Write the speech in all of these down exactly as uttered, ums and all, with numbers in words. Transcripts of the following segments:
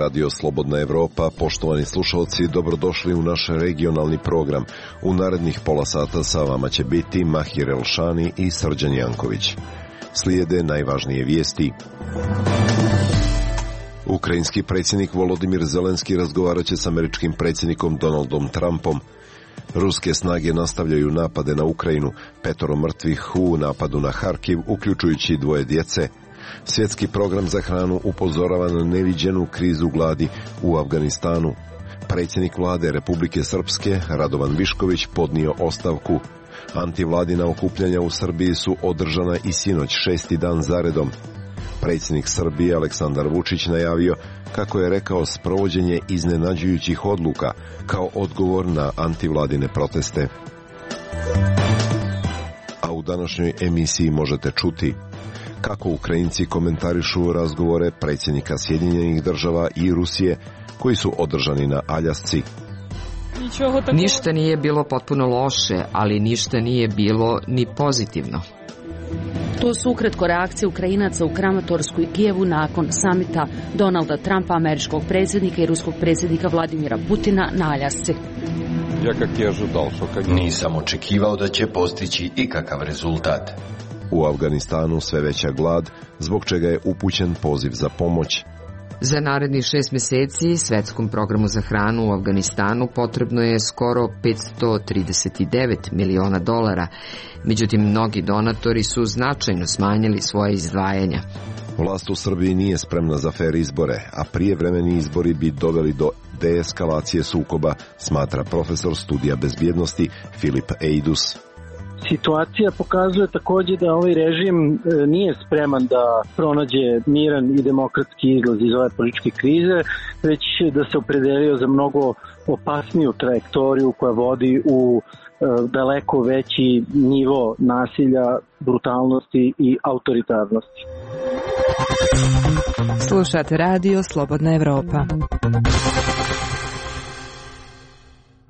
Radio Slobodna Evropa. Poštovani slušalci, dobrodošli u naš regionalni program. U narednih pola sata sa vama će biti Mahir Elšani i Srđan Janković. Slijede najvažnije vijesti. Ukrajinski predsjednik Volodimir Zelenski razgovarat će s američkim predsjednikom Donaldom Trumpom. Ruske snage nastavljaju napade na Ukrajinu, petoro mrtvih u napadu na Harkiv, uključujući dvoje djece. Svjetski program za hranu upozorava na neviđenu krizu gladi u Afganistanu. Predsjednik vlade Republike Srpske, Radovan Višković, podnio ostavku. Antivladina okupljanja u Srbiji su održana i sinoć šesti dan zaredom. Predsjednik Srbije Aleksandar Vučić najavio, kako je rekao, sprovođenje iznenađujućih odluka kao odgovor na antivladine proteste. A u današnjoj emisiji možete čuti kako Ukrajinci komentarišu razgovore predsjednika Sjedinjenih Država i Rusije koji su održani na Aljasci. Ništa nije bilo potpuno loše, ali ništa nije bilo ni pozitivno. To su ukratko reakcije Ukrajinaca u Kramatorsku i Kijevu nakon samita Donalda Trumpa, američkog predsjednika, i ruskog predsjednika Vladimira Putina na Aljasci. Nisam očekivao da će postići ikakav rezultat. U Afganistanu sve veća glad, zbog čega je upućen poziv za pomoć. Za narednih šest mjeseci svetskom programu za hranu u Afganistanu potrebno je skoro petsto trideset devet miliona dolara. Međutim, mnogi donatori su značajno smanjili svoje izdvajanja. Vlast u Srbiji nije spremna za fer izbore, a prijevremeni izbori bi doveli do deeskalacije sukoba, smatra profesor studija bezbjednosti Filip Eidus. Situacija pokazuje također da ovaj režim nije spreman da pronađe miran i demokratski izlaz iz ove političke krize, već da se opredelio za mnogo opasniju trajektoriju koja vodi u daleko veći nivo nasilja, brutalnosti i autoritarnosti. Slušate Radio Slobodna Evropa.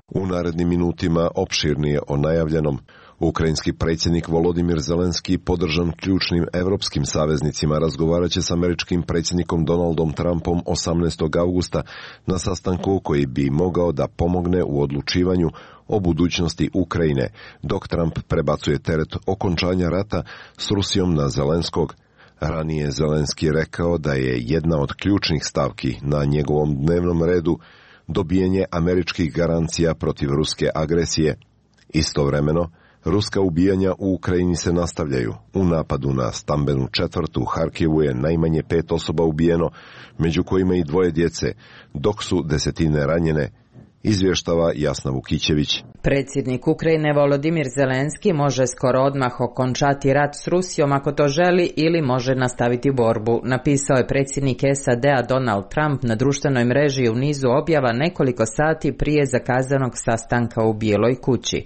U narednim minutima opširnije o najavljenom. Ukrajinski predsjednik Volodimir Zelenski, podržan ključnim evropskim saveznicima, razgovarat će s američkim predsjednikom Donaldom Trumpom osamnaestog augusta na sastanku koji bi mogao da pomogne u odlučivanju o budućnosti Ukrajine, dok Trump prebacuje teret okončanja rata s Rusijom na Zelenskog. Ranije Zelenski rekao da je jedna od ključnih stavki na njegovom dnevnom redu dobijanje američkih garancija protiv ruske agresije. Istovremeno, ruska ubijanja u Ukrajini se nastavljaju. U napadu na stambenu četvrt u Harkivu je najmanje pet osoba ubijeno, među kojima i dvoje djece, dok su desetine ranjene, izvještava Jasna Vukićević. Predsjednik Ukrajine Volodimir Zelenski može skoro odmah okončati rat s Rusijom ako to želi, ili može nastaviti borbu, napisao je predsjednik S A D-a Donald Trump na društvenoj mreži u nizu objava nekoliko sati prije zakazanog sastanka u Bijeloj kući.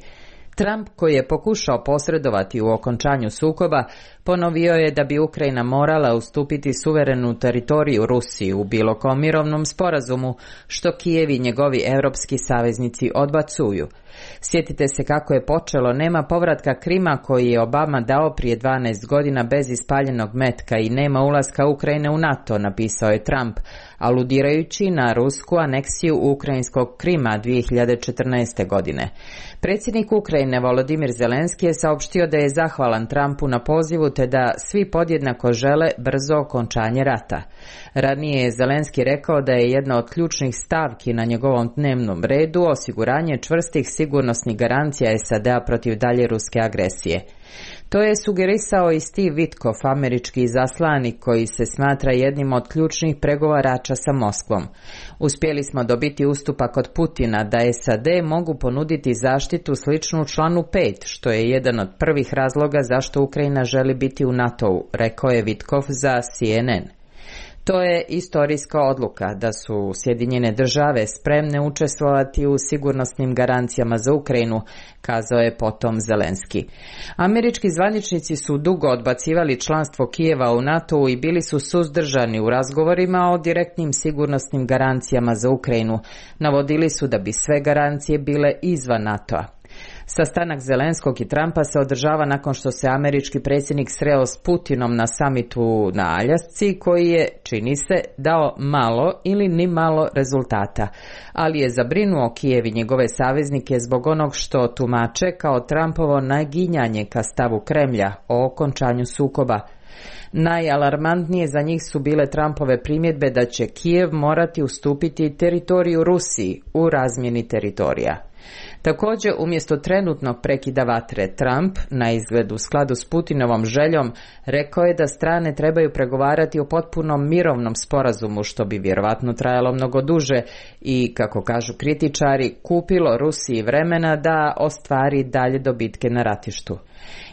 Trump, koji je pokušao posredovati u okončanju sukoba, ponovio je da bi Ukrajina morala ustupiti suverenu teritoriju Rusiji u bilo kom mirovnom sporazumu, što Kijev i njegovi europski saveznici odbacuju. Sjetite se kako je počelo, nema povratka Krima koji je Obama dao prije dvanaest godina bez ispaljenog metka, i nema ulaska Ukrajine u NATO, napisao je Trump, aludirajući na rusku aneksiju ukrajinskog Krima dvije hiljade četrnaeste. godine. Predsjednik Ukrajine Volodimir Zelenski je saopštio da je zahvalan Trumpu na pozivu te da svi podjednako žele brzo okončanje rata. Ranije je Zelenski rekao da je jedna od ključnih stavki na njegovom dnevnom redu osiguranje čvrstih sigurnosnih garancija S A D-a protiv dalje ruske agresije. To je sugerisao i Steve Witkoff, američki izaslanik koji se smatra jednim od ključnih pregovarača sa Moskvom. Uspjeli smo dobiti ustupak od Putina da S A D mogu ponuditi zaštitu sličnu članu pet, što je jedan od prvih razloga zašto Ukrajina želi biti u NATO-u, rekao je Witkoff za C N N. To je istorijska odluka da su Sjedinjene države spremne učestvovati u sigurnosnim garancijama za Ukrajinu, kazao je potom Zelenski. Američki zvaničnici su dugo odbacivali članstvo Kijeva u NATO-u i bili su suzdržani u razgovorima o direktnim sigurnosnim garancijama za Ukrajinu. Navodili su da bi sve garancije bile izvan NATO-a. Sastanak Zelenskog i Trumpa se održava nakon što se američki predsjednik sreo s Putinom na samitu na Aljasci, koji je, čini se, dao malo ili ni malo rezultata, ali je zabrinuo Kijev i njegove saveznike zbog onog što tumače kao Trumpovo naginjanje ka stavu Kremlja o okončanju sukoba. Najalarmantnije za njih su bile Trumpove primjedbe da će Kijev morati ustupiti teritoriju Rusiji u razmjeni teritorija. Također, umjesto trenutnog prekida vatre, Trump, na izgled u skladu s Putinovom željom, rekao je da strane trebaju pregovarati o potpunom mirovnom sporazumu, što bi vjerovatno trajalo mnogo duže i, kako kažu kritičari, kupilo Rusiji vremena da ostvari dalje dobitke na ratištu.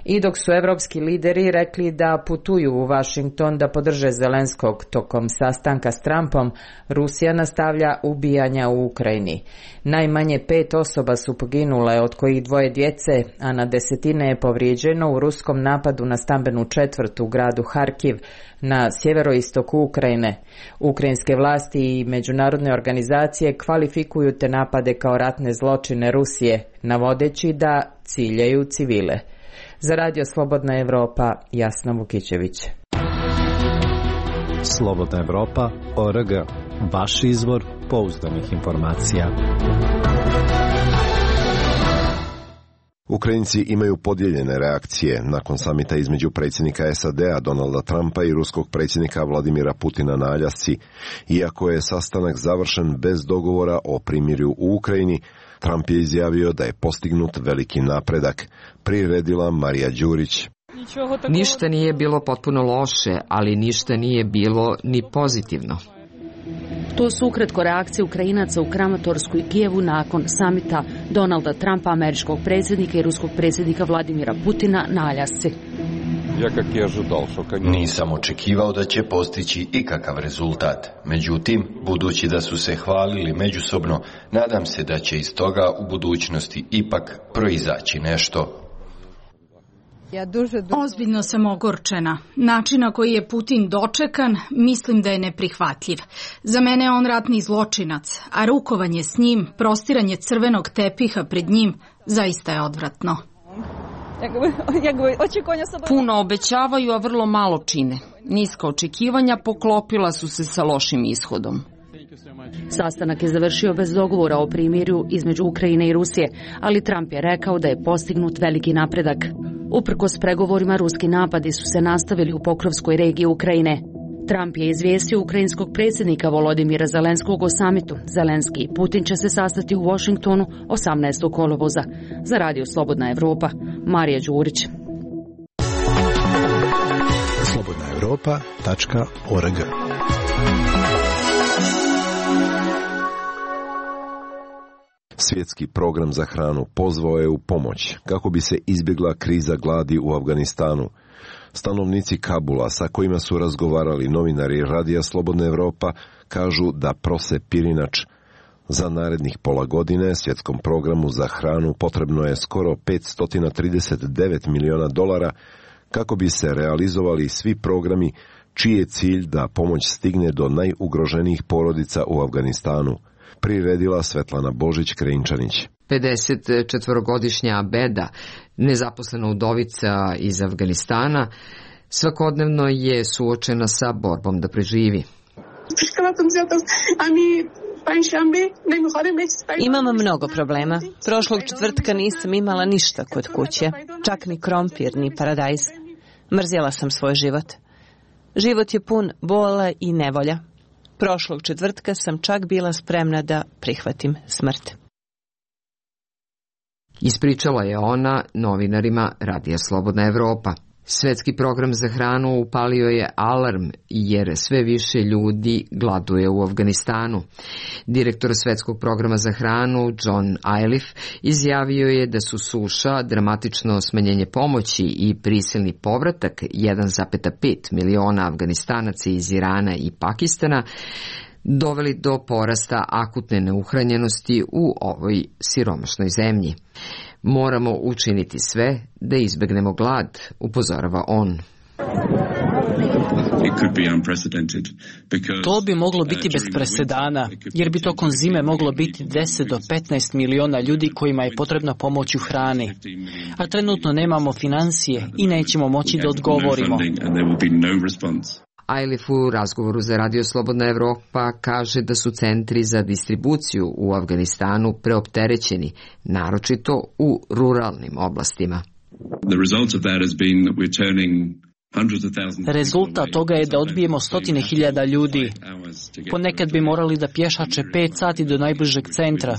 I dok su evropski lideri rekli da putuju u Washington da podrže Zelenskog tokom sastanka s Trumpom, Rusija nastavlja ubijanja u Ukrajini. Najmanje pet osoba su poginule, od kojih dvoje djece, a na desetine je povrijeđeno u ruskom napadu na stambenu četvrt u gradu Harkiv na sjeveroistoku Ukrajine. Ukrajinske vlasti i međunarodne organizacije kvalifikuju te napade kao ratne zločine Rusije, navodeći da ciljaju civile. Za Radio Slobodna Evropa, Jasna Vukićević. Slobodna Evropa, O R G, vaš izvor pouzdanih informacija. Ukrajinci imaju podijeljene reakcije nakon samita između predsjednika S A D-a Donalda Trumpa i ruskog predsjednika Vladimira Putina na Aljasci. Iako je sastanak završen bez dogovora o primirju u Ukrajini, Trump je izjavio da je postignut veliki napredak. Priredila Marija Đurić. Ništa nije bilo potpuno loše, ali ništa nije bilo ni pozitivno. To su ukratko reakcije Ukrajinaca u Kramatorsku i Kijevu nakon samita Donalda Trumpa, američkog predsjednika, i ruskog predsjednika Vladimira Putina na Aljasci. Nisam očekivao da će postići ikakav rezultat. Međutim, budući da su se hvalili međusobno, nadam se da će iz toga u budućnosti ipak proizaći nešto. Ozbiljno sam ogorčena. Način na koji je Putin dočekan, mislim da je neprihvatljiv. Za mene je on ratni zločinac, a rukovanje s njim, prostiranje crvenog tepiha pred njim, zaista je odvratno. Puno obećavaju, a vrlo malo čine. Niska očekivanja poklopila su se sa lošim ishodom. Sastanak je završio bez dogovora o primirju između Ukrajine i Rusije, ali Trump je rekao da je postignut veliki napredak. Uprkos pregovorima, ruski napadi su se nastavili u Pokrovskoj regiji Ukrajine. Trump je izvijestio ukrajinskog predsjednika Volodimira Zelenskog o samitu. Zelenski i Putin će se sastati u Washingtonu osamnaestog kolovoza. Za Radio Slobodna Evropa, Marija Đurić. slobodna evropa tačka org. Svjetski program za hranu pozvao je u pomoć kako bi se izbjegla kriza gladi u Afganistanu. Stanovnici Kabula, sa kojima su razgovarali novinari Radija Slobodna Evropa, kažu da prose pirinač. Za narednih pola godine svjetskom programu za hranu potrebno je skoro petsto trideset devet miliona dolara kako bi se realizovali svi programi čiji je cilj da pomoć stigne do najugroženijih porodica u Afganistanu. Priredila Svetlana Božić-Krejinčanić. pedesetčetvorogodišnja Abeda, nezaposlena udovica iz Afganistana, svakodnevno je suočena sa borbom da preživi. Imam mnogo problema. Prošlog četvrtka nisam imala ništa kod kuće, čak ni krompir, ni paradajz. Mrzjela sam svoj život. Život je pun bola i nevolja. Prošlog četvrtka sam čak bila spremna da prihvatim smrt. Ispričala je ona novinarima Radija Slobodna Evropa. Svetski program za hranu upalio je alarm jer sve više ljudi gladuje u Afganistanu. Direktor Svetskog programa za hranu John Iliff izjavio je da su suša, dramatično smanjenje pomoći i prisilni povratak jedan zarez pet miliona Afganistanaca iz Irana i Pakistana doveli do porasta akutne neuhranjenosti u ovoj siromašnoj zemlji. Moramo učiniti sve da izbegnemo glad, upozorava on. To bi moglo biti bez presedana, jer bi tokom zime moglo biti deset do petnaest miliona ljudi kojima je potrebna pomoć u hrani. A trenutno nemamo financije i nećemo moći da odgovorimo. Ailif u razgovoru za Radio Slobodna Evropa kaže da su centri za distribuciju u Afganistanu preopterećeni, naročito u ruralnim oblastima. Rezultat toga je da odbijemo stotine hiljada ljudi. Ponekad bi morali da pješače pet sati do najbližeg centra.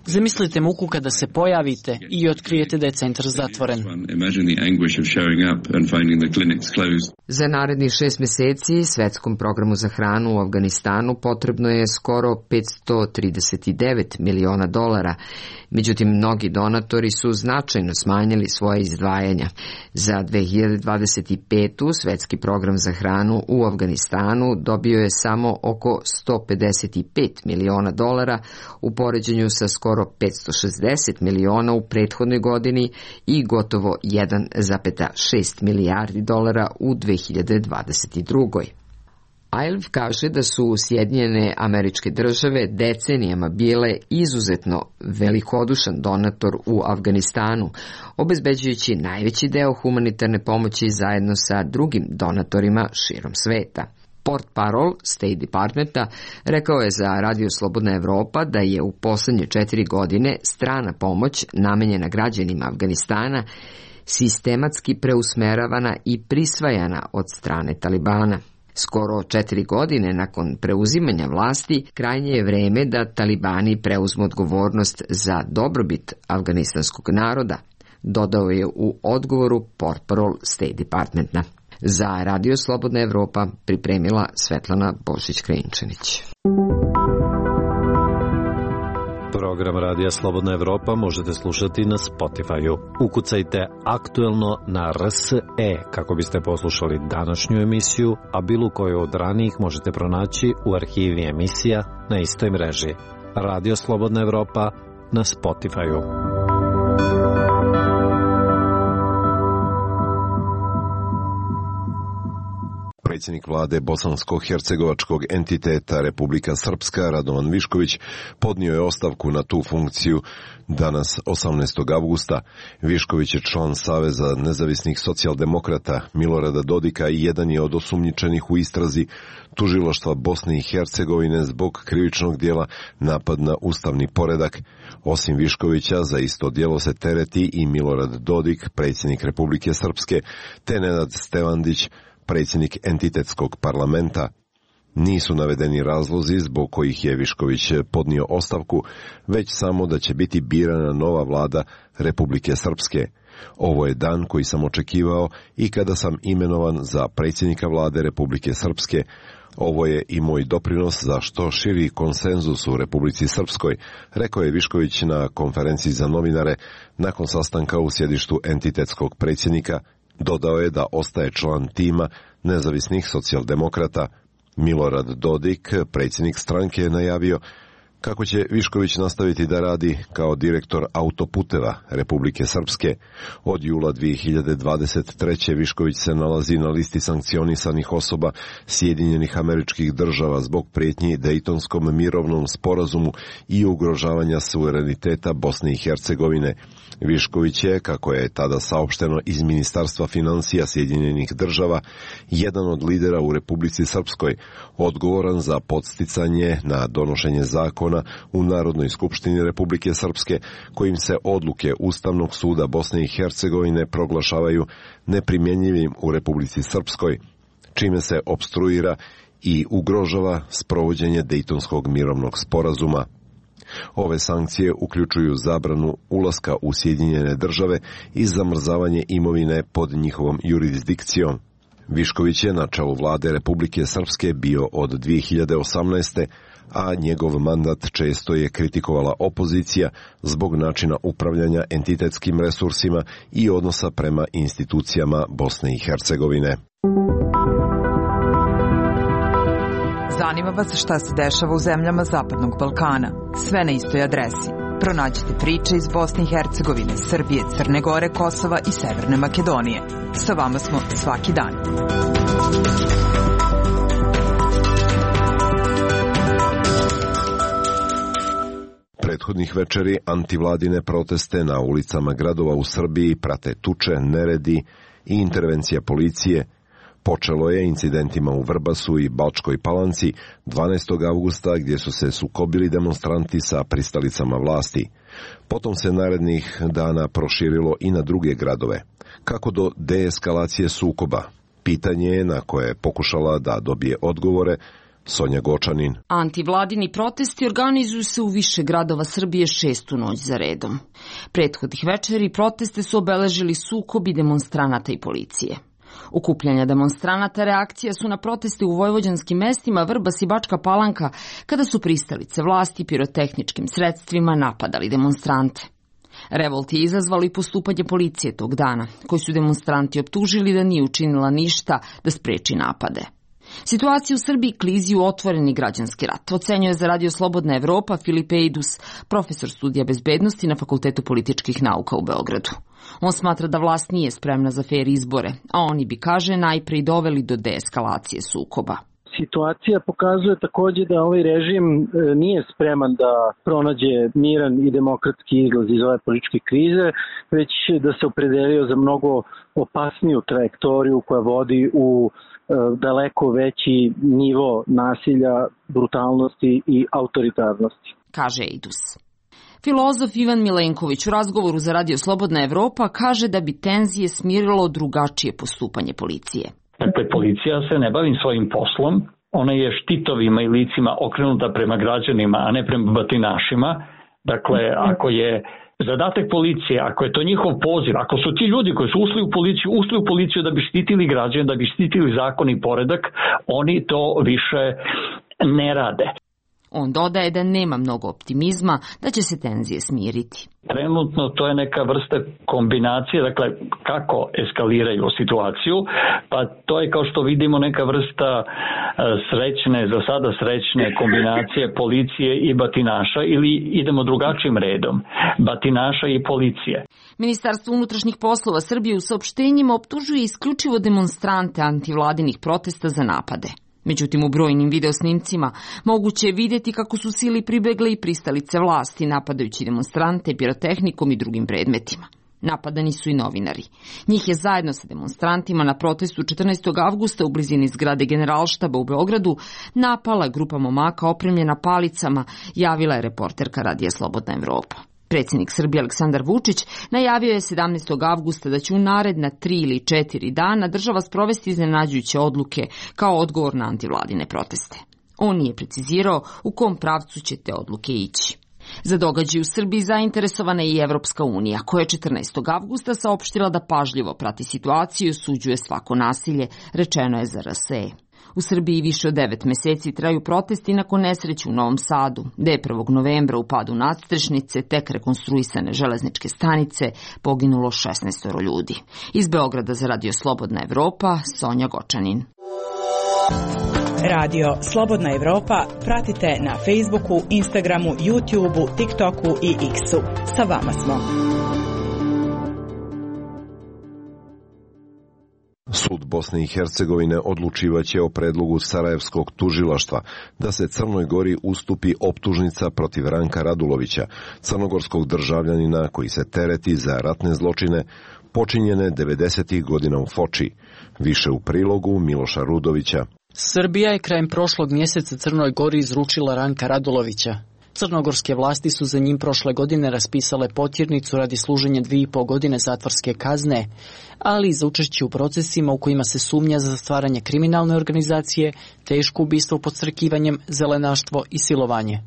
Zamislite muku kada se pojavite i otkrijete da je centar zatvoren. Za narednih šest mjeseci Svetskom programu za hranu u Afganistanu potrebno je skoro petsto trideset devet miliona dolara. Međutim, mnogi donatori su značajno smanjili svoje izdvajanja. Za dve hiljade dvadeset petu. Svetski program za hranu u Afganistanu dobio je samo oko sto pedeset pet miliona dolara u poređenju sa skoro petsto šezdeset miliona u prethodnoj godini i gotovo jedan zarez šest milijardi dolara u dve hiljade dvadeset drugoj. Ailif kaže da su Sjedinjene Američke Države decenijama bile izuzetno velikodušan donator u Afganistanu, obezbeđujući najveći deo humanitarne pomoći zajedno sa drugim donatorima širom sveta. Portparol State Departmenta rekao je za Radio Slobodna Evropa da je u poslednje četiri godine strana pomoć namenjena građanima Afganistana sistematski preusmeravana i prisvajana od strane Talibana. Skoro četiri godine nakon preuzimanja vlasti, krajnje je vreme da Talibani preuzmu odgovornost za dobrobit afganistanskog naroda, dodao je u odgovoru Portparol State Departmenta. Za Radio Slobodna Evropa pripremila Svetlana Božić-Krajinčanić. Program Radija Slobodna Evropa možete slušati na Spotify-u. Ukucajte aktuelno na R S E kako biste poslušali današnju emisiju, a bilo koju od ranijih možete pronaći u arhivi emisija na istoj mreži. Radio Slobodna Evropa na Spotify-u. Predsjednik vlade bosansko-hercegovačkog entiteta Republika Srpska Radovan Višković podnio je ostavku na tu funkciju danas osamnaestog avgusta. Višković je član Saveza nezavisnih socijaldemokrata Milorada Dodika i jedan je od osumnjičenih u istrazi tužilaštva Bosne i Hercegovine zbog krivičnog djela napad na ustavni poredak. Osim Viškovića, za isto djelo se tereti i Milorad Dodik, predsjednik Republike Srpske, te Nenad Stevandić, predsjednik entitetskog parlamenta. Nisu navedeni razlozi zbog kojih je Višković podnio ostavku, već samo da će biti birana nova vlada Republike Srpske. Ovo je dan koji sam očekivao i kada sam imenovan za predsjednika vlade Republike Srpske. Ovo je i moj doprinos za što širi konsenzus u Republici Srpskoj, rekao je Višković na konferenciji za novinare nakon sastanka u sjedištu entitetskog predsjednika. Dodao je da ostaje član tima nezavisnih socijaldemokrata. Milorad Dodik, predsjednik stranke, je najavio kako će Višković nastaviti da radi kao direktor autoputeva Republike Srpske. Od jula dve hiljade dvadeset treće. Višković se nalazi na listi sankcionisanih osoba Sjedinjenih Američkih Država zbog prijetnji Dejtonskom mirovnom sporazumu i ugrožavanja suvereniteta Bosne i Hercegovine. Višković je, kako je tada saopšteno iz Ministarstva financija Sjedinjenih Država, jedan od lidera u Republici Srpskoj, odgovoran za podsticanje na donošenje zakona u Narodnoj skupštini Republike Srpske, kojim se odluke Ustavnog suda Bosne i Hercegovine proglašavaju neprimjenjivim u Republici Srpskoj, čime se opstruira i ugrožava sprovođenje Dejtonskog mirovnog sporazuma. Ove sankcije uključuju zabranu ulaska u Sjedinjene Države i zamrzavanje imovine pod njihovom jurisdikcijom. Višković je na čelu vlade Republike Srpske bio od dve hiljade osamnaeste. a njegov mandat često je kritikovala opozicija zbog načina upravljanja entitetskim resursima i odnosa prema institucijama Bosne i Hercegovine. Zanima vas šta se dešava u zemljama Zapadnog Balkana. Sve na istoj adresi. Pronađite priče iz Bosne i Hercegovine, Srbije, Crne Gore, Kosova i Severne Makedonije. Sa vama smo svaki dan. Prethodnih večeri antivladine proteste na ulicama gradova u Srbiji prate tuče, neredi i intervencija policije. Počelo je incidentima u Vrbasu i Bačkoj Palanci dvanaestog avgusta gdje su se sukobili demonstranti sa pristalicama vlasti. Potom se narednih dana proširilo i na druge gradove. Kako do deeskalacije sukoba? Pitanje je na koje je pokušala da dobije odgovore Sonja Gočanin. Antivladini protesti organizuju se u više gradova Srbije šestu noć za redom. Prethodnih večeri proteste su obeležili sukobi demonstranata i policije. Okupljanja demonstranata reakcija su na proteste u vojvođanskim mestima Vrbas i Bačka Palanka, kada su pristalice vlasti pirotehničkim sredstvima napadali demonstrante. Revolt je izazvalo i postupanje policije tog dana, koji su demonstranti optužili da nije učinila ništa da spreči napade. Situaciju u Srbiji klizi u otvoreni građanski rat, ocenjuje za Radio Slobodna Evropa Filip Eidus, profesor studija bezbednosti na Fakultetu političkih nauka u Beogradu. On smatra da vlast nije spremna za fer izbore, a oni bi, kaže, najprej doveli do deeskalacije sukoba. Situacija pokazuje takođe da ovaj režim nije spreman da pronađe miran i demokratski izlaz iz ove političke krize, već da se opredelio za mnogo opasniju trajektoriju koja vodi u daleko veći nivo nasilja, brutalnosti i autoritarnosti, kaže Eidus. Filozof Ivan Milenković u razgovoru za Radio Slobodna Evropa kaže da bi tenzije smirilo drugačije postupanje policije. Dakle, policija se ne bavi svojim poslom, ona je štitovima i licima okrenuta prema građanima, a ne prema batinašima. Dakle, ako je zadatak policije, ako je to njihov poziv, ako su ti ljudi koji su ušli u policiju, ušli u policiju da bi štitili građane, da bi štitili zakon i poredak, oni to više ne rade. On dodaje da nema mnogo optimizma da će se tenzije smiriti. Trenutno to je neka vrsta kombinacije, dakle kako eskaliraju situaciju, pa to je kao što vidimo neka vrsta srećne, za sada srećne kombinacije policije i batinaša, ili idemo drugačijim redom, batinaša i policije. Ministarstvo unutrašnjih poslova Srbije u saopštenjima optužuje isključivo demonstrante antivladinih protesta za napade. Međutim, u brojnim videosnimcima moguće je vidjeti kako su sili pribegle i pristalice vlasti, napadajući demonstrante pirotehnikom i drugim predmetima. Napadani su i novinari. Njih je zajedno sa demonstrantima na protestu četrnaestog avgusta u blizini zgrade Generalštaba u Beogradu napala grupa momaka opremljena palicama, javila je reporterka Radija Slobodna Evropa. Predsjednik Srbije Aleksandar Vučić najavio je sedamnaestog avgusta da će u naredna tri ili četiri dana država sprovesti iznenađujuće odluke kao odgovor na antivladine proteste. On nije precizirao u kom pravcu će te odluke ići. Za događaj u Srbiji zainteresovana je i Evropska unija, koja je četrnaestog avgusta saopštila da pažljivo prati situaciju i osuđuje svako nasilje, rečeno je za R S E. U Srbiji više od devet meseci traju protesti nakon nesreće u Novom Sadu, gde je prvog novembra u padu nadstrešnice, tek rekonstruisane železničke stanice, poginulo šesnaest ljudi. Iz Beograda za Radio Slobodna Evropa, Sonja Gočanin. Radio Slobodna Evropa pratite na Facebooku, Instagramu, YouTubeu, TikToku i X-u. Sa vama smo. Sud Bosne i Hercegovine odlučivaće o predlogu Sarajevskog tužilaštva da se Crnoj Gori ustupi optužnica protiv Ranka Radulovića, crnogorskog državljanina koji se tereti za ratne zločine počinjene devedesetih godina u Foči. Više u prilogu Miloša Rudovića. Srbija je krajem prošlog mjeseca Crnoj Gori izručila Ranka Radulovića. Crnogorske vlasti su za njim prošle godine raspisale potjernicu radi služenja dvije i po godine zatvorske kazne, ali i za učešće u procesima u kojima se sumnja za stvaranje kriminalne organizacije, teško ubistvo podstrekivanjem, zelenaštvo i silovanje.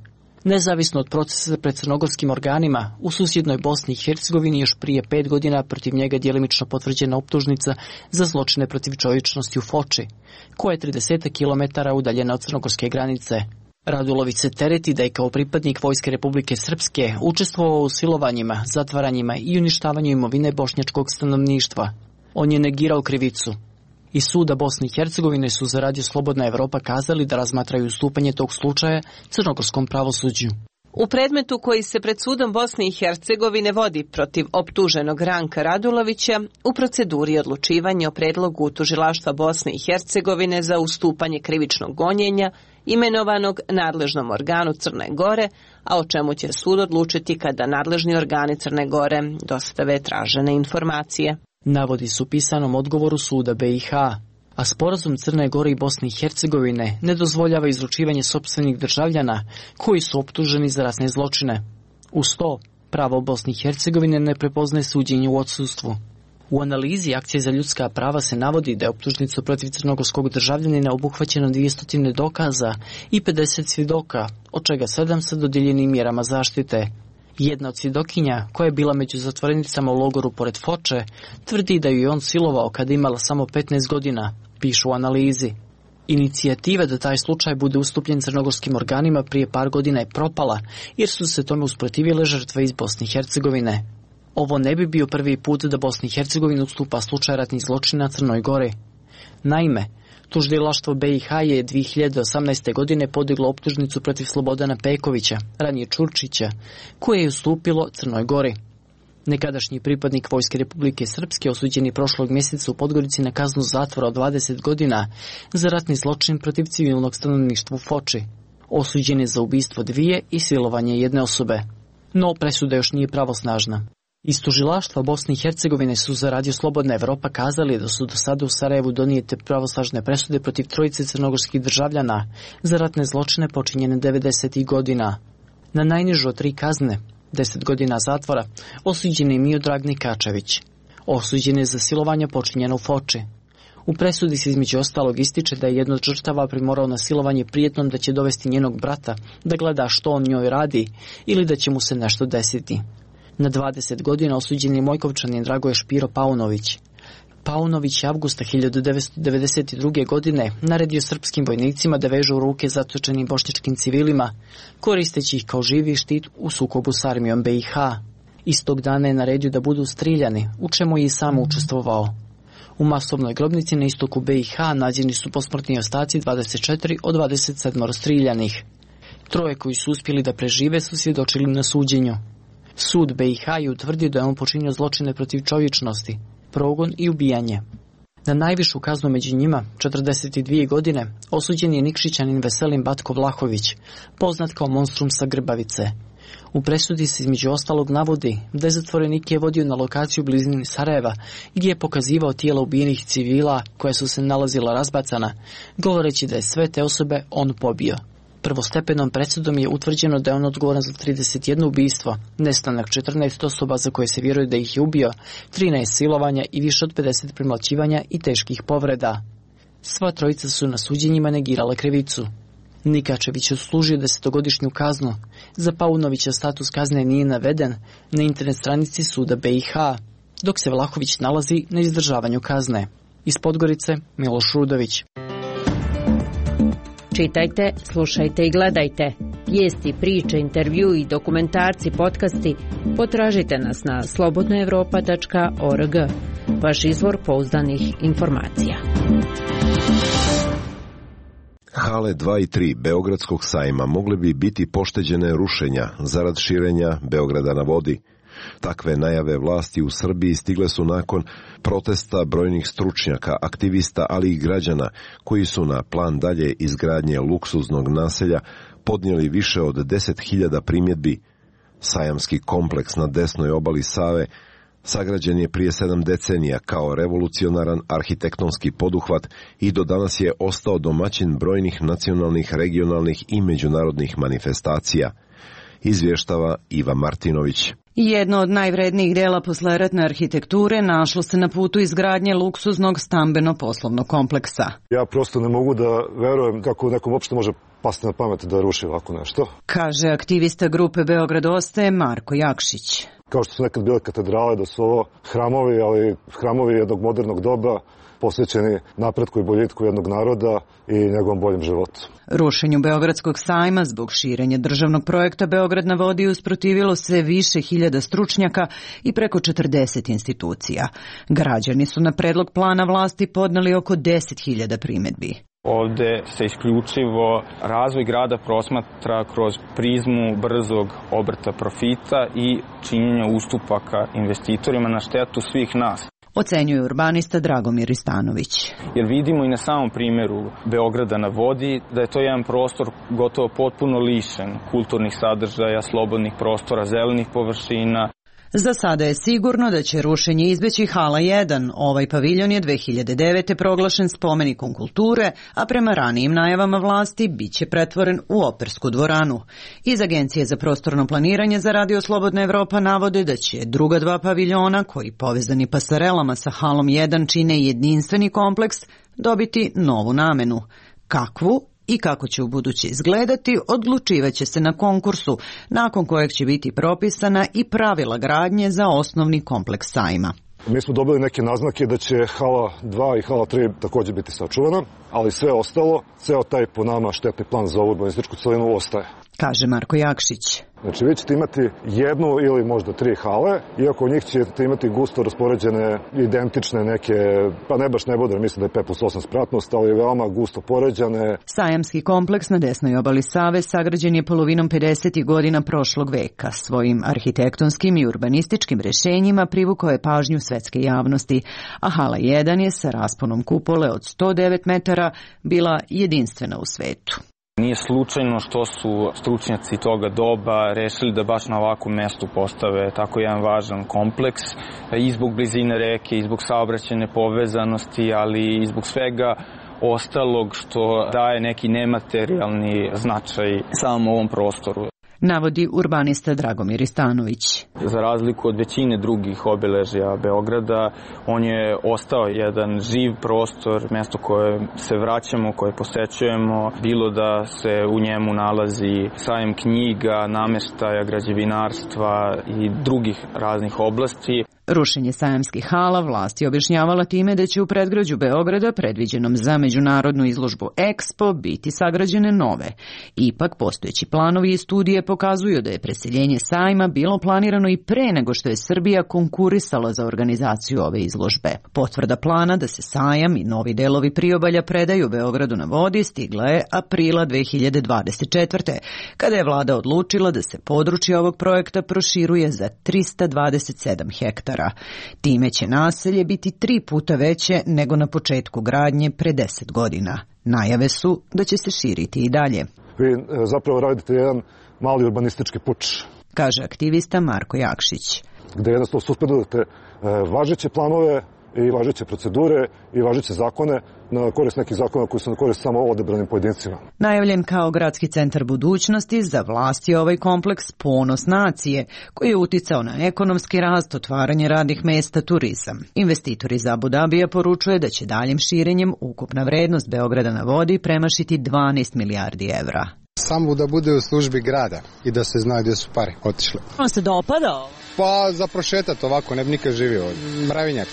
Nezavisno od procesa pred crnogorskim organima, u susjednoj Bosni i Hercegovini još prije pet godina protiv njega djelimično potvrđena optužnica za zločine protiv čovječnosti u Foči, koja je trideset kilometara udaljena od crnogorske granice. Radulović se tereti da je kao pripadnik Vojske Republike Srpske učestvovao u silovanjima, zatvaranjima i uništavanju imovine bošnjačkog stanovništva. On je negirao krivicu. Iz suda Bosne i Hercegovine su za Radio Slobodna Evropa kazali da razmatraju ustupanje tog slučaja crnogorskom pravosuđu. U predmetu koji se pred sudom Bosne i Hercegovine vodi protiv optuženog Ranka Radulovića, u proceduri odlučivanja o predlogu tužilaštva Bosne i Hercegovine za ustupanje krivičnog gonjenja imenovanog nadležnom organu Crne Gore, a o čemu će sud odlučiti kada nadležni organi Crne Gore dostave tražene informacije. Navodi su u pisanom odgovoru suda B i H, a sporazum Crne Gore i Bosne i Hercegovine ne dozvoljava izručivanje sopstvenih državljana koji su optuženi za ratne zločine. Uz to, pravo Bosne i Hercegovine ne prepoznaje suđenje u odsustvu. U analizi Akcije za ljudska prava se navodi da je optužnicu protiv crnogorskog državljanina obuhvaćeno dvjesto dokaza i pedeset svjedoka, od čega sedam sa dodijeljenim mjerama zaštite. Jedna od svjedokinja, koja je bila među zatvorenicama u logoru pored Foče, tvrdi da ju je on silovao kada imala samo petnaest godina, pišu u analizi. Inicijativa da taj slučaj bude ustupljen crnogorskim organima prije par godina je propala, jer su se tome usprotivile žrtve iz Bosne i Hercegovine. Ovo ne bi bio prvi put da Bosna i Hercegovina ustupa slučaj ratnih zločina Crnoj Gori. Naime, tužilaštvo B i H je dvije hiljade osamnaeste. godine podiglo optužnicu protiv Slobodana Pekovića, ranije Čurčića, koje je ustupilo Crnoj Gori. Nekadašnji pripadnik Vojske Republike Srpske osuđeni prošlog mjeseca u Podgorici na kaznu zatvora od dvadeset godina za ratni zločin protiv civilnog stanovništva u Foči. Osuđen je za ubistvo dvije i silovanje jedne osobe. No, presuda još nije pravosnažna. Iz tužilaštva Bosne i Hercegovine su za Radio Slobodna Evropa kazali da su do sada u Sarajevu donijete pravosnažne presude protiv trojice crnogorskih državljana za ratne zločine počinjene devedesetih godina. Na najnižu od tri kazne, deset godina zatvora, osuđen je Miodrag Nikačević. Osuđen je za silovanje počinjeno u Foči. U presudi se između ostalog ističe da je jedno od žrtava primorao na silovanje prijetnom da će dovesti njenog brata da gleda što on njoj radi ili da će mu se nešto desiti. Na dvadeset godina osuđen je Mojkovčanin Dragoje Špiro Paunović. Paunović je avgusta hiljadu devetsto devedeset druge. godine naredio srpskim vojnicima da vežu ruke zatočenim bošnjačkim civilima, koristeći ih kao živi štit u sukobu s armijom B i H. Istog dana je naredio da budu strijeljani, u čemu je i sam učestvovao. U masovnoj grobnici na istoku B i H nađeni su posmrtni ostaci dvadeset četiri od dvadeset sedam striljanih. Troje koji su uspjeli da prežive su svjedočili na suđenju. Sud B i H je utvrdio da je on počinio zločine protiv čovječnosti, progon i ubijanje. Na najvišu kaznu među njima, četrdeset dvije godine, osuđen je Nikšićanin Veselin Batko Vlahović, poznat kao monstrum sa Grbavice. U presudi se između ostalog navodi da je zatvorenik je vodio na lokaciju u blizini Sarajeva, gdje je pokazivao tijela ubijenih civila koja su se nalazila razbacana, govoreći da je sve te osobe on pobio. Prvostepenom presudom je utvrđeno da je on odgovoran za trideset jedno ubistvo, nestanak četrnaest osoba za koje se vjeruje da ih je ubio, trinaest silovanja i više od pedeset premlaćivanja i teških povreda. Sva trojica su na suđenjima negirale krivicu. Nikačević je odslužio desetogodišnju kaznu. Za Paunovića status kazne nije naveden na internet stranici suda B i H, dok se Vlahović nalazi na izdržavanju kazne. Iz Podgorice, Miloš Rudović. Čitajte, slušajte i gledajte. Vijesti, priče, intervju i dokumentarci, podcasti potražite nas na slobodna evropa tačka org. Vaš izvor pouzdanih informacija. Hale dva i tri Beogradskog sajma mogle bi biti pošteđene rušenja zarad širenja Beograda na vodi. Takve najave vlasti u Srbiji stigle su nakon protesta brojnih stručnjaka, aktivista, ali i građana koji su na plan dalje izgradnje luksuznog naselja podnijeli više od deset hiljada primjedbi. Sajamski kompleks na desnoj obali Save sagrađen je prije sedam decenija kao revolucionaran arhitektonski poduhvat i do danas je ostao domaćin brojnih nacionalnih, regionalnih i međunarodnih manifestacija. Izvještava Iva Martinović. Jedno od najvrednijih dela posleratne arhitekture našlo se na putu izgradnje luksuznog stambeno-poslovnog kompleksa. Ja prosto ne mogu da verujem kako nekom uopšte može pasti na pamet da ruši ovako nešto, kaže aktivista grupe Beograd ostaje Marko Jakšić. Kao što su nekad bile katedrale, da su ovo hramovi, ali hramovi jednog modernog doba, posvećeni napretku i boljitku jednog naroda i njegovom boljem životu. Rušenju Beogradskog sajma zbog širenja državnog projekta Beograd na vodi usprotivilo se više hiljada stručnjaka i preko četrdeset institucija. Građani su na predlog plana vlasti podneli oko deset hiljada primjedbi. Ovde se isključivo razvoj grada prosmatra kroz prizmu brzog obrta profita i činjenja ustupaka investitorima na štetu svih nas. Ocenjuje urbanista Dragomir Istanović. Jer vidimo i na samom primjeru Beograda na vodi da je to jedan prostor gotovo potpuno lišen kulturnih sadržaja, slobodnih prostora, zelenih površina. Za sada je sigurno da će rušenje izbeći Hala jedan. Ovaj paviljon je dve hiljade devete. proglašen spomenikom kulture, a prema ranijim najavama vlasti biće pretvoren u opersku dvoranu. Iz Agencije za prostorno planiranje za Radio Slobodna Evropa navode da će druga dva paviljona, koji povezani pasarelama sa Halom jedan čine jedinstveni kompleks, dobiti novu namenu. Kakvu i kako će u buduće izgledati, odlučivaće se na konkursu, nakon kojeg će biti propisana i pravila gradnje za osnovni kompleks sajma. Mi smo dobili neke naznake da će Hala dva i Hala tri također biti sačuvana, ali sve ostalo, ceo taj po nama štetni plan za ovu urbanističku celinu ostaje. Kaže Marko Jakšić. Znači vi ćete imati jednu ili možda tri hale, iako u njih ćete imati gusto raspoređene, identične neke, pa ne baš ne bude, mislim da je pet plus osam spratnost, ali veoma gusto poređane. Sajamski kompleks na desnoj obali Save sagrađen je polovinom pedesetih godina prošlog veka. Svojim arhitektonskim i urbanističkim rešenjima privukao je pažnju svetske javnosti, a Hala jedan je sa rasponom kupole od sto devet metara bila jedinstvena u svetu. Nije slučajno što su stručnjaci toga doba rešili da baš na ovakvom mestu postave tako jedan važan kompleks i zbog blizine reke, i zbog saobraćajne povezanosti, ali i zbog svega ostalog što daje neki nematerijalni značaj samom ovom prostoru. Navodi urbanista Dragomir Istanović. Za razliku od većine drugih obeležja Beograda, on je ostao jedan živ prostor, mesto koje se vraćamo, koje posećujemo, bilo da se u njemu nalazi sajam knjiga, nameštaja, građevinarstva i drugih raznih oblasti. Rušenje sajamskih hala vlast je objašnjavala time da će u predgrađu Beograda, predviđenom za međunarodnu izložbu Expo, biti sagrađene nove. Ipak, postojeći planovi i studije pokazuju da je preseljenje sajma bilo planirano i pre nego što je Srbija konkurisala za organizaciju ove izložbe. Potvrda plana da se sajam i novi delovi priobalja predaju Beogradu na vodi stigla je aprila dve hiljade dvadeset četvrte. kada je vlada odlučila da se područje ovog projekta proširuje za trista dvadeset sedam hektara. Time će naselje biti tri puta veće nego na početku gradnje pre deset godina. Najave su da će se širiti i dalje. Vi zapravo radite jedan mali urbanistički puč, kaže aktivista Marko Jakšić. Gde jednostavno suspendujete važeće planove i važeće procedure i važeće zakone na korist nekih zakona koji su na korist samo odebranim pojedincima. Najavljen kao gradski centar budućnosti, za vlast je ovaj kompleks ponos nacije, koji je uticao na ekonomski rast, otvaranje radnih mesta, turizam. Investitor iz Abu Dabija poručuje da će daljim širenjem ukupna vrednost Beograda na vodi premašiti dvanaest milijardi evra. Samo da bude u službi grada i da se zna gdje su pare otišle. On se dopada? Pa za prošetat ovako, ne bi nikad živio. Mravinjak.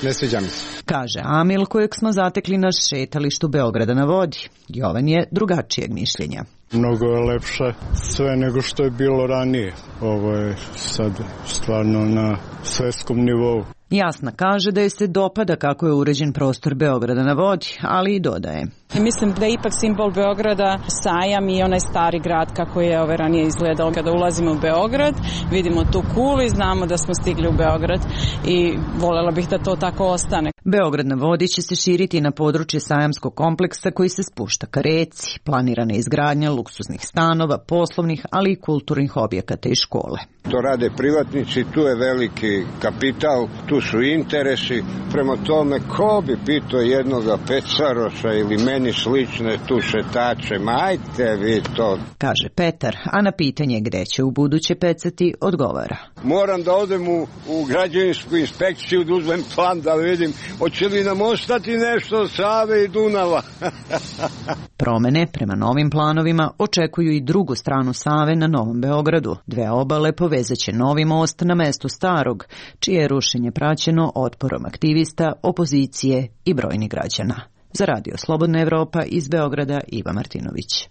Ne sviđa mi se. Kaže Amil, kojeg smo zatekli na šetalištu Beograda na vodi. Jovan je drugačijeg mišljenja. Mnogo je lepše sve nego što je bilo ranije. Ovo je sad stvarno na svetskom nivou. Jasna kaže da je se dopada kako je uređen prostor Beograda na vodi, ali i dodaje. Mislim da je ipak simbol Beograda sajam i onaj stari grad kako je ove ranije izgledao. Kada ulazimo u Beograd, vidimo tu kulu i znamo da smo stigli u Beograd i voljela bih da to tako ostane. Beograd na vodi će se širiti na područje sajamskog kompleksa koji se spušta ka reci. Planirana je izgradnja luksuznih stanova, poslovnih, ali i kulturnih objekata i škole. To rade privatnici, tu je veliki kapital, tu su interesi. Prema tome, ko bi pitao jednoga Pecaroša ili meni slične tu šetače, ma ajte vi to. Kaže Petar, a na pitanje gde će u buduće pecati odgovara. Moram da odem u, u građevinsku inspekciju da uzmem plan da vidim hoće li nam ostati nešto od Save i Dunava. Promene prema novim planovima očekuju i drugu stranu Save na Novom Beogradu. Dve obale povezaće novi most na mestu starog, čije je rušenje praćeno otporom aktivista, opozicije i brojnih građana. Za Radio Slobodna Evropa iz Beograda Iva Martinović.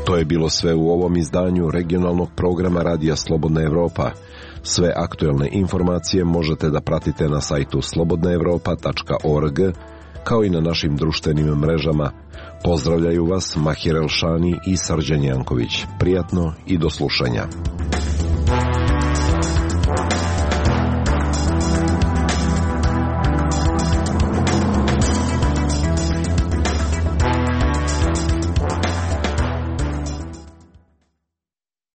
To je bilo sve u ovom izdanju regionalnog programa Radija Slobodna Evropa. Sve aktuelne informacije možete da pratite na sajtu slobodna evropa tačka org, kao i na našim društvenim mrežama. Pozdravljaju vas Mahir Elšani i Srđan Janković. Prijatno i do slušanja.